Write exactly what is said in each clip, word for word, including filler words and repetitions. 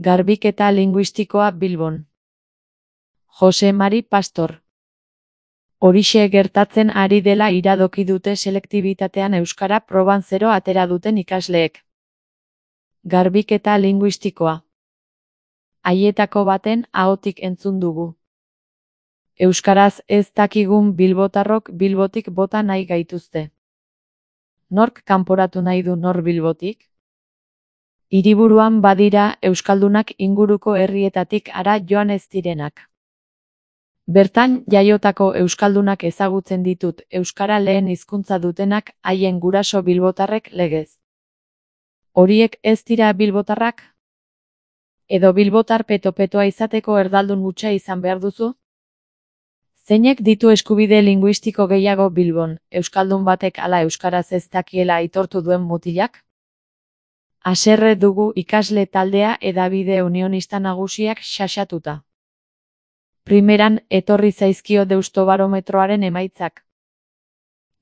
Garbiketa linguistikoa Bilbon. Jose Mari Pastor. Horixe gertatzen ari dela iradoki dute selektibitatean euskara proban zero atera duten ikasleek. Garbiketa linguistikoa. Haietako baten ahotik entzun dugu. Euskaraz ez dakigun bilbotarrok Bilbotik bota nahi gaituzte. Nork kanporatu nahi du nor Bilbotik? Hiriburuan badira euskaldunak inguruko herrietatik hara joan ez direnak. Bertan jaiotako euskaldunak ezagutzen ditut euskara lehen hizkuntza dutenak haien guraso bilbotarrek legez. Horiek ez dira bilbotarrak? Edo bilbotar peto-petoa izateko erdaldun hutsa izan behar duzu? Zeinek ditu eskubide linguistiko gehiago Bilbon, euskaldun batek ala euskaraz ez dakiela aitortu duen mutilak? Haserre dugu ikasle taldea hedabide unionista nagusiak xaxatuta. Primeran etorri zaizkio deustobarometroaren emaitzak.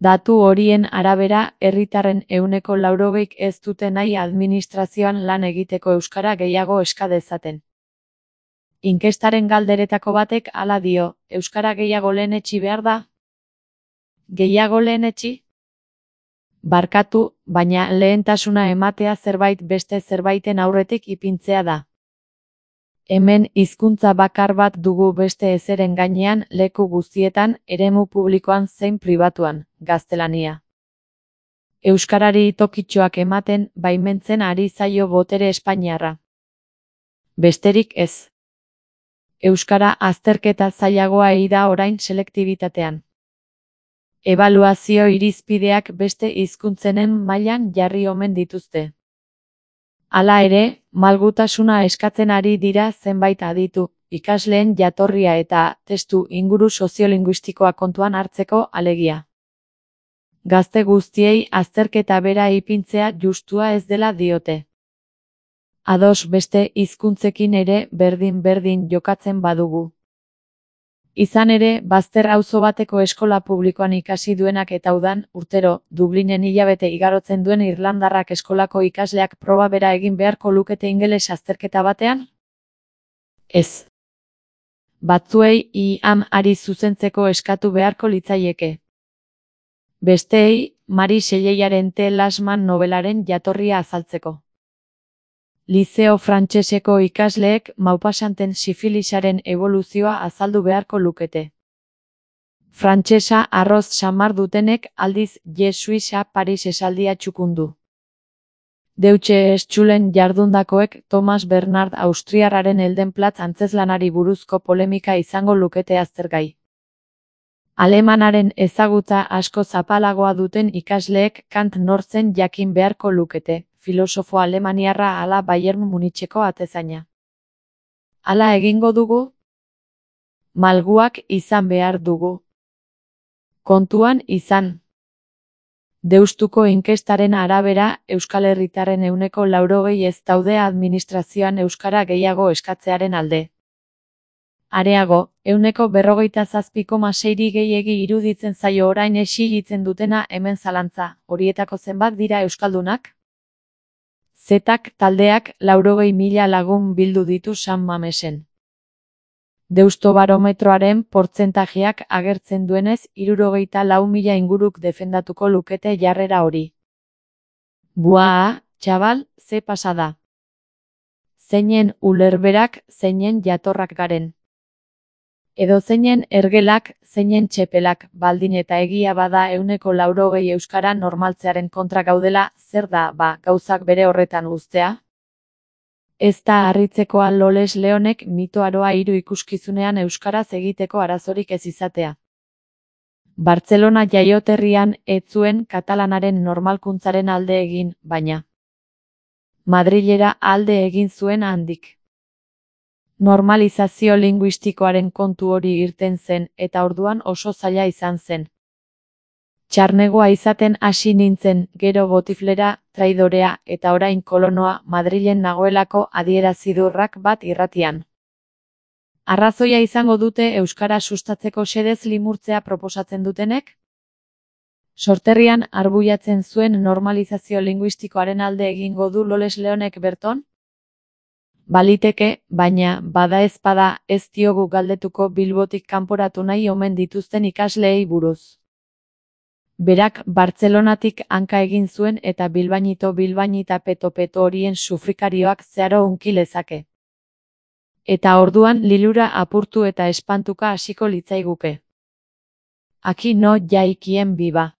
Datu horien arabera, herritarren ehuneko laurogeik ez dute nahi administrazioan lan egiteko euskara gehiago eska dezaten. Inkestaren galderetako batek hala dio, euskara gehiago lehenetsi behar da? Gehiago lehenetsi? Barkatu, baina lehentasuna ematea zerbait beste zerbaiten aurretik ipintzea da. Hemen hizkuntza bakar bat dugu beste ezeren gainean leku guztietan, eremu publikoan zein pribatuan, gaztelania. Euskarari tokitxoak ematen baimentzen ari zaio botere espainiarra. Besterik ez. Euskara azterketa zailagoa ei da orain selektibitatean. Ebaluazio irizpideak beste hizkuntzenen mailan jarri omen dituzte. Hala ere, malgutasuna eskatzen ari dira zenbait aditu, ikasleen jatorria eta testu inguru soziolinguistikoa kontuan hartzeko alegia. Gazte guztiei azterketa bera ipintzea justua ez dela diote. Ados beste hizkuntzekin ere berdin-berdin jokatzen badugu. Izan ere, bazter auzo bateko eskola publikoan ikasi duenak eta udan, urtero, Dublinen hilabete igarotzen duen irlandarrak eskolako ikasleak proba bera egin beharko lukete ingeles azterketa batean? Ez. Batzuei I am ari zuzentzeko eskatu beharko litzaieke. Besteei, Mari Xelleiaren T. Lasman nobelaren jatorria azaltzeko. Liceo frantseseko ikasleek Maupasanten sifilisaren eboluzioa azaldu beharko lukete. Frantsesa arroz samar dutenek aldiz Je Suiza Paris esaldia txukundu. Deutsche Schulen jardundakoek Thomas Bernhard Austriarraren Heldenplatz antzezlanari buruzko polemika izango lukete aztergai. Alemanaren ezagutza asko zapalagoa duten ikasleek Kant nortzen jakin beharko lukete. Filosofo alemaniarra ala Bayern Municheko atezaina. Hala egingo dugu? Malguak izan behar dugu. Kontuan izan. Deustuko inkestaren arabera, Euskal Herritarren ehuneko laurogei ez daude administrazioan euskara gehiago eskatzearen alde. Areago, ehuneko berrogeita zazpi koma seiri gehiegi iruditzen zaio orain exigitzen dutena hemen zalantza, horietako zenbat dira euskaldunak? Zetak taldeak laurogei mila lagun bildu ditu San Mamesen. Deustobarometroaren portzentajeak agertzen duenez hirurogeita lau mila inguruk defendatuko lukete jarrera hori. Buaa, txabal, ze pasada. Zeinen ulerberak, zeinen jatorrak garen. Edo zeinen ergelak, zeinen txepelak, baldin eta egia bada ehuneko laurogei euskara normaltzearen kontra gaudela, zer da, ba, gauzak bere horretan uztea? Ez da harritzekoa Loles Leonek mitoaroa hiru ikuskizunean euskaraz egiteko arazorik ez izatea. Bartzelona jaioterrian ez zuen katalanaren normalkuntzaren alde egin, baina Madrilera alde egin zuen handik. Normalizazio linguistikoaren kontu hori irten zen eta orduan oso zaila izan zen. Txarnegoa izaten hasi nintzen, gero botiflera, traidorea eta orain kolonoa Madrilen nagoelako adierazidurrak bat irratian. Arrazoia izango dute euskara sustatzeko xedez limurtzea proposatzen dutenek? Sorterrian arbuiatzen zuen normalizazio linguistikoaren alde egingo du Loles Leonek berton? Baliteke, baina, bada ezpada, ez diogu galdetuko Bilbotik kanporatu nahi omen dituzten ikasleei buruz. Berak Bartzelonatik hanka egin zuen eta bilbainito bilbainita peto-peto horien sufrikarioak zeharo hunki lezake. Eta orduan lilura apurtu eta espantuka hasiko litzaiguke. Aquí no hay quien viva.